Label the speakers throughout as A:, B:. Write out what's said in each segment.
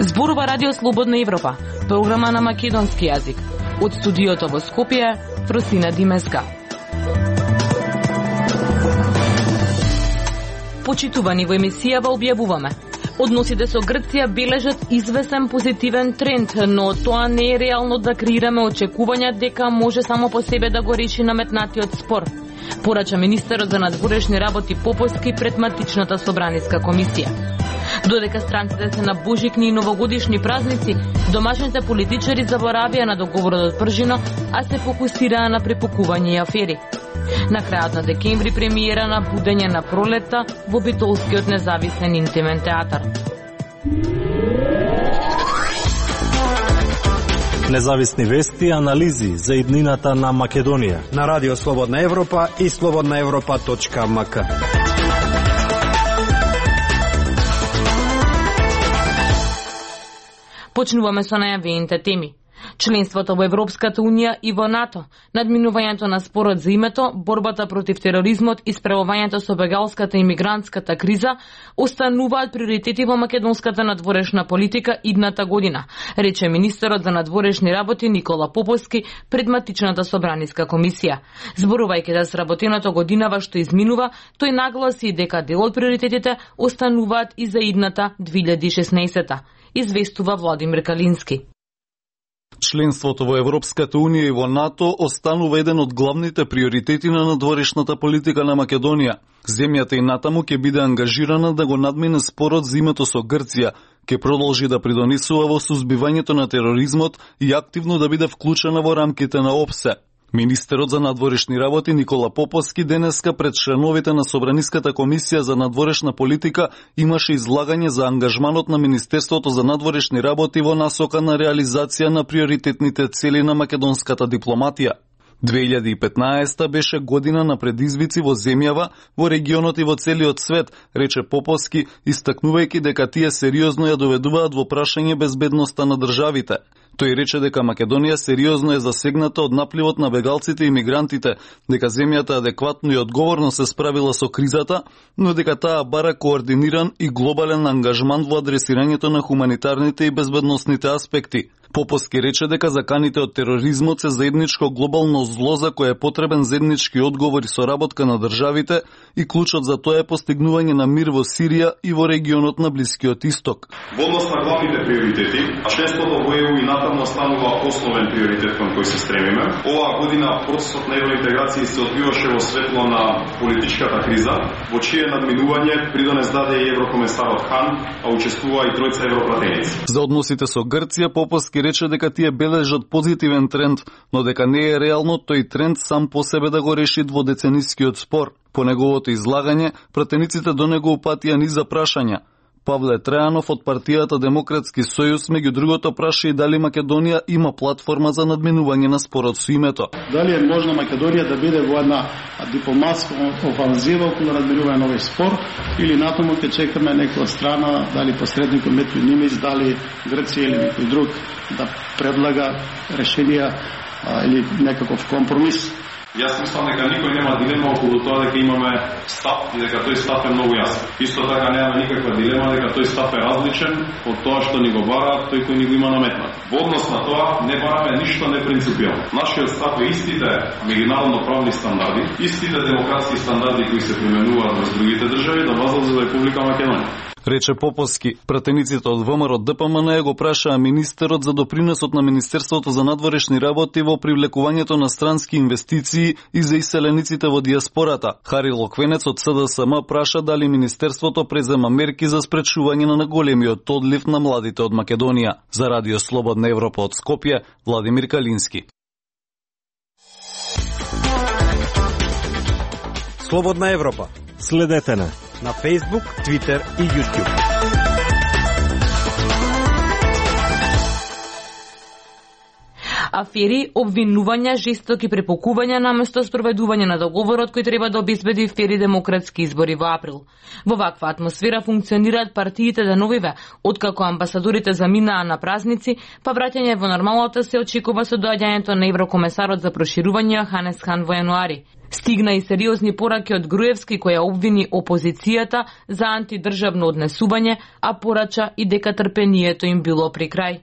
A: Зборува Радио Слободна Европа, програма на македонски јазик. Од студиото во Скопје, Фросина Димеска. Почитувани, во емисијава објавуваме: односите со Грција бележат извесен позитивен тренд, но тоа не е реално да креираме очекувања дека може само по себе да го реши наметнатиот спор, порача министерот за надворешни работи Поповски пред матичната собраниска комисија. Додека странците се на божикни и новогодишни празници, домашните политичари заборавија на договорот од Пржино, а се фокусираа на препукување и афери. На крајот на декември премиера на Будење на пролетта во Битолскиот независен интимен театар.
B: Независни вести и анализи за иднината на Македонија
C: на Радио Слободна Европа и slobodnaevropa.mk.
A: Почнуваме со најавените теми. Членството во Европската Унија и во НАТО, надминувањето на спорот за името, борбата против тероризмот и справувањето со бегалската и мигрантската криза остануваат приоритети во македонската надворешна политика идната година, рече министерот за надворешни работи Никола Поповски пред матичната собраниска комисија. Зборувајќи за сработеното годинава што изминува, тој нагласи дека дел од приоритетите остануваат и за идната 2016-та. Известува Владимир Калински.
D: Членството во Европската Унија и во НАТО останува еден од главните приоритети на надворешната политика на Македонија. Земјата и натаму ќе биде ангажирана да го надмине спорот за името со Грција, ќе продолжи да придонесува во сузбивањето на тероризмот и активно да биде вклучена во рамките на ОПСЕ. Министерот за надворешни работи Никола Поповски денеска пред членовите на Собраниската комисија за надворешна политика имаше излагање за ангажманот на Министерството за надворешни работи во насока на реализација на приоритетните цели на македонската дипломатија. 2015 беше година на предизвици во земјава, во регионот и во целиот свет, рече Поповски, истакнувајќи дека тие сериозно ја доведуваат во прашање безбедноста на државите. Тој рече дека Македонија сериозно е засегната од напливот на бегалците и мигрантите, дека земјата адекватно и одговорно се справила со кризата, но дека таа бара координиран и глобален ангажман во адресирањето на хуманитарните и безбедносните аспекти. Поповски рече дека заканите од тероризмот се заедничко глобално зло за кое е потребен заеднички одговор и соработка на државите и клучот за тоа е постигнување на мир во Сирија и во регионот на Блискиот Исток.
E: Во однос на главните приоритети, а членството во ЕУ и НАТО останува основен приоритет кон кој се стремиме. Оваа година процесот на евроинтеграција се одвиваше во светло на политичката криза, во чие надминување придонес даде и еврокомесарот Хан, а учествува и тројца европратеници.
D: За односите со Грција Поповски рече дека тие бележат позитивен тренд, но дека не е реално тој тренд сам по себе да го реши дводеценискиот спор. По неговото излагање, пратениците до него упатија низ прашања. Павле Трајанов од партијата Демократски сојуз меѓу другото праша и дали Македонија има платформа за надминување на спорот со името.
F: Дали е можно Македонија да биде во една дипломатска офанзива околу надминување на овој спор или натаму ќе чекаме некоја страна, дали посредникот Метјо Нимиć, дали Грција или некој друг да предлага решенија или некаков компромис.
E: Јас мислам дека никој нема дилема околу тоа дека имаме став и дека тој став е многу јасен. Исто така нема никаква дилема дека тој став е различен од тоа што ни го бара тој кој ни го има наметнат. Во однос на тоа не бараме ништо непринципијално. Нашиот став е истите меѓународно правни стандарди, истите демократски стандарди кои се применуваат во другите држави да важат за Република Македонија.
D: Рече Поповски. Пратениците од ВМРО ДПМН го прашаа министерот за допринесот на Министерството за надворешни работи во привлекувањето на странски инвестиции и за иселениците во диаспората. Хари Локвенец од СДСМ праша дали министерството презема мерки за спречување на големиот одлив на младите од Македонија. За Радио Слободна Европа од Скопје, Владимир Калински.
C: Слободна Европа.
B: Следете на
C: Facebook, Twitter и YouTube.
A: Афери, обвинувања, жестоки препокувања наместо спроведување на договорот кој треба да обезбеди фери демократски избори во април. Во ваква атмосфера функционираат партиите деновиве, откако амбасадорите заминаа на празници, па враќање во нормалната се очекува со доаѓањето на еврокомесарот за проширување Јоханес Хан во јануари. Стигна и сериозни пораки од Груевски, која обвини опозицијата за антидржавно однесување, а порача и дека трпението им било при крај.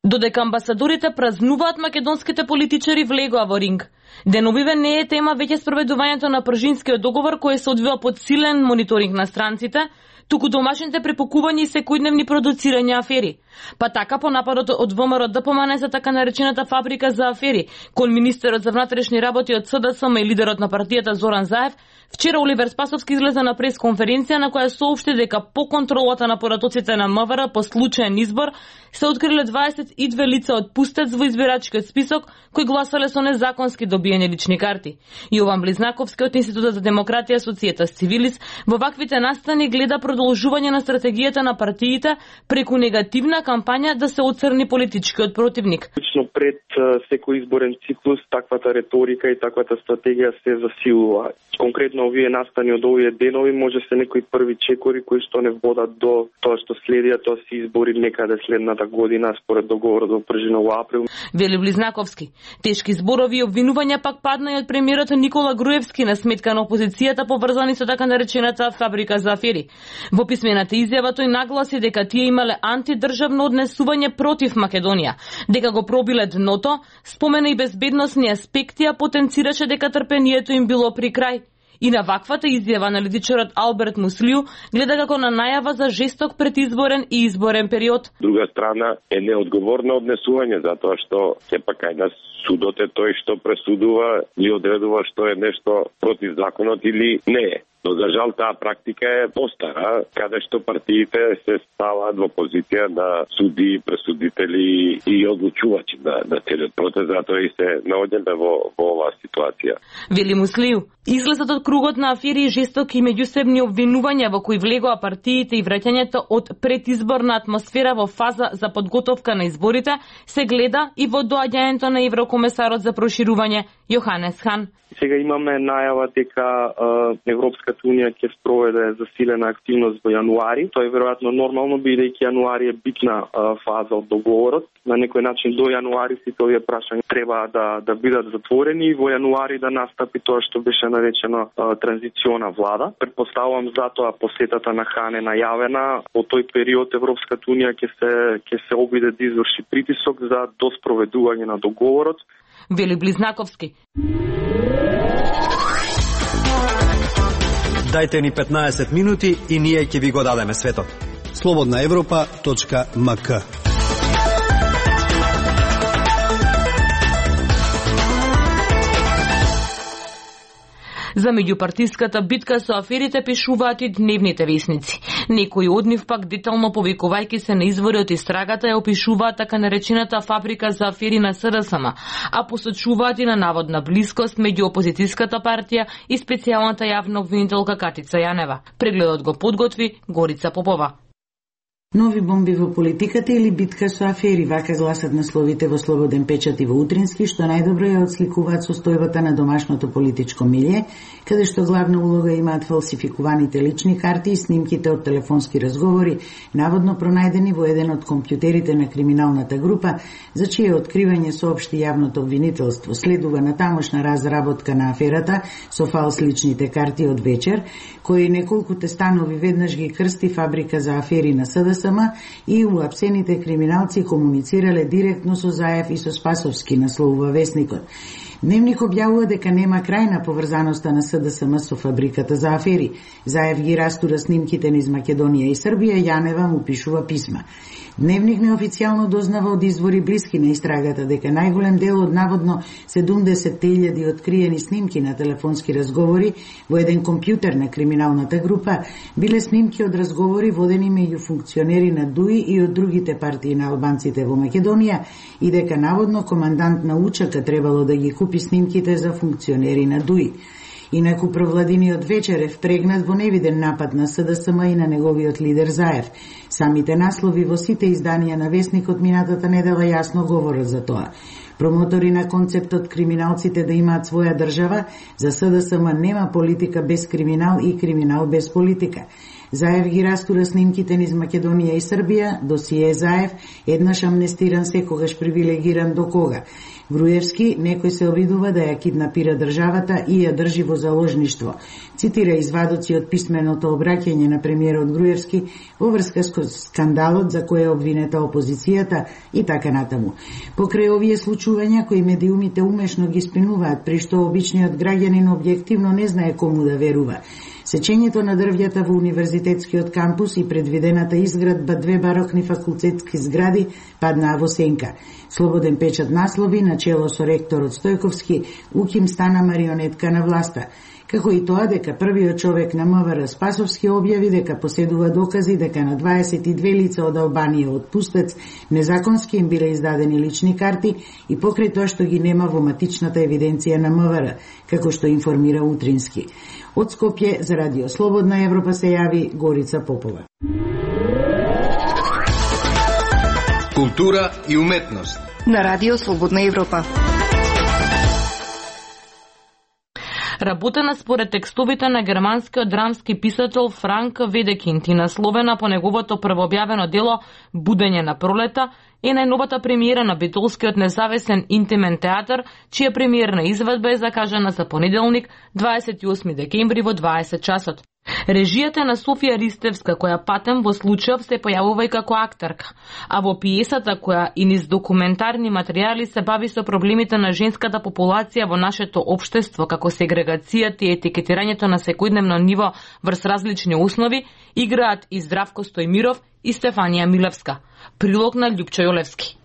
A: Додека амбасадорите празнуваат, македонските политичари влегоа во ринг. Деновиве не е тема веќе спроведувањето на Пржинскиот договор кој се одвива под силен мониторинг на странците, туку домашните препокувања и секојдневни продуцирања афери. Па така по нападот од ВМРО ДПМН за така наречената фабрика за афери, кон министерот за внатрешни работи од СДСМ и лидерот на партијата Зоран Заев, вчера Оливер Спасовски излезе на пресконференција на која соопшти дека по контролата на поратоците на МВР по случаен избор се откриле 22 лица од пустец во избирачкиот список кои гласале со незаконски добиени лични карти. Јован Близнаковски од Институтот за демократија Societas Civilis во ваквите настани гледа продолжување на стратегијата на партиите преку негативна кампања да се оцрни политичкиот противник.
G: Лично пред секој изборен циклус таквата реторика и таквата стратегија се засилува. Конкретно овие настани од овие денови може се некои први чекори кои што не водат до тоа што следија, тоа се избори некаде следната година според договорот во Пржина во април.
A: Вели Близнаковски. Тешки зборови и обвинувања пак падна и од премиерот Никола Груевски на сметка на опозицијата поврзани со така наречената фабрика за афери. Во писмената изјава тој нагласи дека тие имале антидржавно однесување против Македонија, дека го пробиле дното, спомена и безбедносни аспекти, а потенцираше дека трпението им било при крај. И на ваквата изјава аналитичарот Алберт Муслију гледа како на најава за жесток предизборен и изборен период.
H: Друга страна е неодговорно однесување, затоа што сепак кај нас судот е тој што пресудува и одредува што е нешто против законот или не е. Но за жал таа практика е постара, каде што партиите се ставаат во позиција на суди, пресудители и одлучувачи на целиот процес, затоа и се наоѓаме во оваа ситуација.
A: Вели Муслију, излезот од кругот на афери и жестоки меѓусебни обвинувања во кои влегоа партиите и враќањето од предизборна атмосфера во фаза за подготовка на изборите се гледа и во доаѓањето на еврокомесарот за проширување Јоханес Хан.
G: Сега имаме најава дека Европската унија ќе спроведе засилена активност во јануари. Тоа е веројатно нормално, бидејќи јануари е битна фаза од договорот. На некој начин до јануари сите овие прашања треба да бидат затворени и во јануари да настапи тоа што беше наречено транзициона влада. Предпоставувам затоа посетата на Хан е најавена. Во тој период Европската унија ќе се обиде да изврши притисок за доспроведување на договорот.
A: Вели Близнаковски.
C: Дајте ни 15 минути и ние ќе ви го дадеме светот.
I: slobodnaevropa.mk.
A: За меѓупартиската битка со аферите пишуваат и дневните весници. Некои од нив пак детално повикувајќи се на извори од истрагата ја опишуваат така наречената фабрика за афери на СДСМ, а посочуваат и на наводна блискост меѓу опозицијската партија и специјалната јавна обвинителка Катица Јанева. Прегледот го подготви Горица Попова.
J: Нови бомби во политиката или битка со афери, вака гласат насловите во Слободен печат и во Утрински, што најдобро ја отсликуваат состојбата на домашното политичко милје, каде што главна улога имаат фалсификуваните лични карти и снимките од телефонски разговори, наводно пронајдени во еден од компјутерите на криминалната група, за чие откривање соопшти јавното обвинителство. Следува натамошна разработка на аферата со фалс личните карти од вечер, кои неколкуте станови веднаш ги крсти фабрика за афери на СДСМ и уапсените криминалци комуницирале директно со Заев и со Спасовски, насловува весникот. Дневник објавува дека нема крај на поврзаноста на СДСМ со фабриката за афери. Заев ги растура снимките низ Македонија и Србија, Јанева му пишува писма. Дневник неофицијално дознава од извори блиски на истрагата дека најголем дел од наводно 70.000 откриени снимки на телефонски разговори во еден компјутер на криминалната група биле снимки од разговори водени меѓу функционери на ДУИ и од другите партии на албанците во Македонија и дека наводно командант на УЧК требало да ги купи снимките за функционери на ДУИ. Инаку провладиниот вечер е впрегнат во невиден напад на СДСМ и на неговиот лидер Заев. Самите наслови во сите изданија на Весникот минатата недела јасно говорат за тоа. Промотори на концептот криминалците да имаат своја држава, за СДСМ нема политика без криминал и криминал без политика. Заев ги растура снимките низ Македонија и Србија, досие Заев, еднаш амнестиран, секогаш привилегиран до кога. Груевски некој се обидува да ја киднапира државата и ја држи во заложништво. Цитира извадоци од писменото обраќање на премиерот Груевски во врска со скандалот за кој е обвинета опозицијата и така натаму. Покрај овие случувања кои медиумите умешно ги спинуваат, при што обичниот граѓанин објективно не знае кому да верува. Сечењето на дрвјата во универзитетскиот кампус и предвидената изградба две барокни факултетски згради паднаа во сенка. Слободен печат наслови, начело со ректорот Стојковски, УКИМ стана марионетка на власта. Како и тоа дека првиот човек на МВР Спасовски објави дека поседува докази дека на 22 лица од Албанија од Пустец незаконски им биле издадени лични карти и покрај тоа што ги нема во матичната евиденција на МВР, како што информира Утрински. Од Скопје за Радио Слободна Европа се јави Горица Попова.
I: Култура и уметност
K: на Радио Слободна Европа.
A: Работена според текстовите на германскиот драмски писател Франк Ведекинд и насловена по неговото првообјавено дело Будење на пролета, е најновата премиера на битолскиот независен интимен театар, чија премиерна изведба е закажана за понеделник, 28 декември во 20 часот. Режијата на Софија Ристевска, која патем во случајов се појавува и како актерка, а во пиесата која и низ документарни материјали се бави со проблемите на женската популација во нашето општество, како сегрегацијата и етикетирањето на секојдневно ниво врз различни основи, играат и Здравко Стојмиров и Стефанија Милевска. Прилог на Љупчо Јолевски.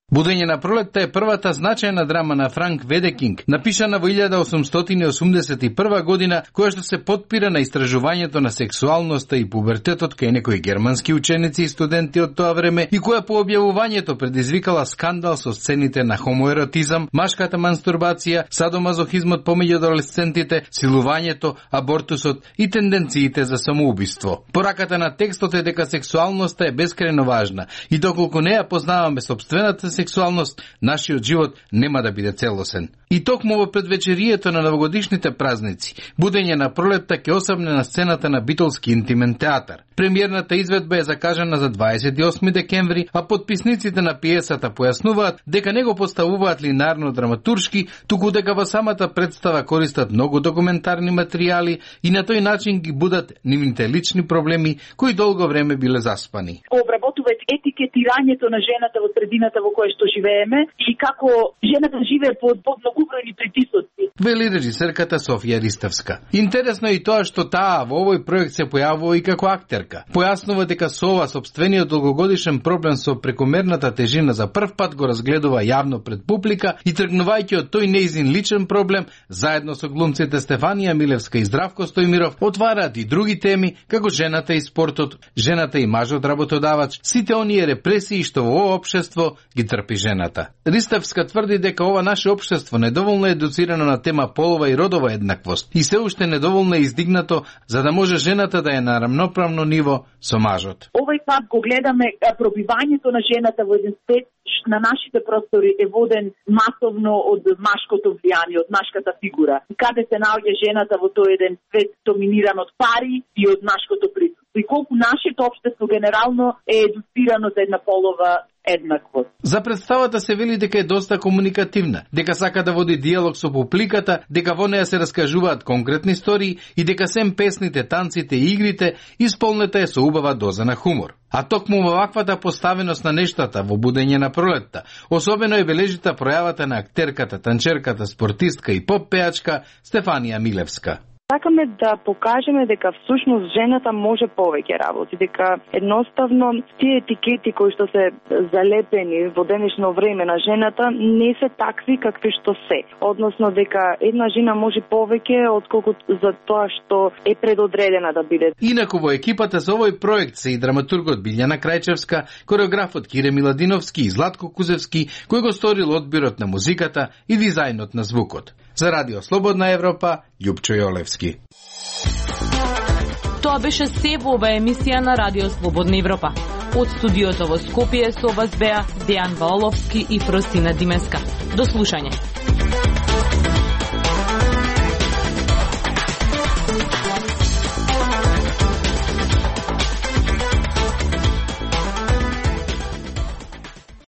L: Будење на пролетта е првата значајна драма на Франк Ведекинг, напишана во 1881 година, која што се потпира на истражувањето на сексуалноста и пубертетот кај некои германски ученици и студенти од тоа време и која по објавувањето предизвикала скандал со сцените на хомоеротизам, машката мастурбација, садомазохизмот помеѓу адолесцентите, силувањето, абортусот и тенденциите за самоубиство. Пораката на текстот е дека сексуалноста е бескрајно важна и доколку не ја познаваме собствената сексуалност, нашиот живот нема да биде целосен. И токму во предвечерието на новогодишните празници, Будење на пролетта ќе осамне на сцената на битолски интимен театар. Премиерната изведба е закажана за 28 декември, а подписниците на пиесата појаснуваат дека не го поставуваат линарно драматуршки, туку дека во самата представа користат многу документарни материјали и на тој начин ги будат нивните лични проблеми кои долго време биле заспани.
M: Обработуваат етикетирањето на жената во средината во која што живееме и како жената живее под многобројни притисоци.
L: Вели режисерката Софија Ристевска. Интересно е и тоа што таа во овој проект се појавува и како актерка. Појаснува дека со ова сопствениот долгогодишен проблем со прекомерната тежина за прв пат го разгледува јавно пред публика и тргнувајќи од тој неизин личен проблем, заедно со глумците Стефанија Милевска и Здравко Стојмиров, отвараат и други теми, како жената и спортот, жената и мажот работодавач, сите оние репресии што во ова општество ги трпи жената. Ристевска тврди дека ова наше општество недоволно едуцирано на тема полова и родова еднаквост и се уште недоволно е издигнато за да може жената да е на рамноправно ниво со мажот.
M: Овој пат го гледаме пробивањето на жената во еден свет на нашите простори е воден масовно од машкото влијание, од машката фигура. Каде се наоѓа жената во тој еден свет доминиран од пари и од машкото присуство. И колку нашето општество генерално е едуцирано за една полова еднаквост.
L: За представата се вели дека е доста комуникативна, дека сака да води диалог со публиката, дека во неја се раскажуваат конкретни истории и дека сем песните, танците и игрите исполнета е со убава доза на хумор. А токму во ваквата поставеност на нештата во Будење на пролетта, особено е бележита пројавата на актерката, танчерката, спортистка и поп пеачка Стефанија Милевска.
N: Сакаме да покажеме дека всушност жената може повеќе работи, дека едноставно тие етикети кои што се залепени во денешно време на жената не се такви какви што се. Односно дека една жена може повеќе отколку за тоа што е предодредена да биде.
L: Инаку во екипата за овој проект се и драматургот Билјана Крајчевска, кореографот Кире Миладиновски и Златко Кузевски, кој го сторил одбирот на музиката и дизајнот на звукот. За Радио Слободна Европа, Љупчо Јолевски.
A: Тоа беше се во оваа емисија на Радио Слободна Европа. Од студиото во Скопје со вас беа Дејан Ваоловски и Фростина Димеска. До слушање.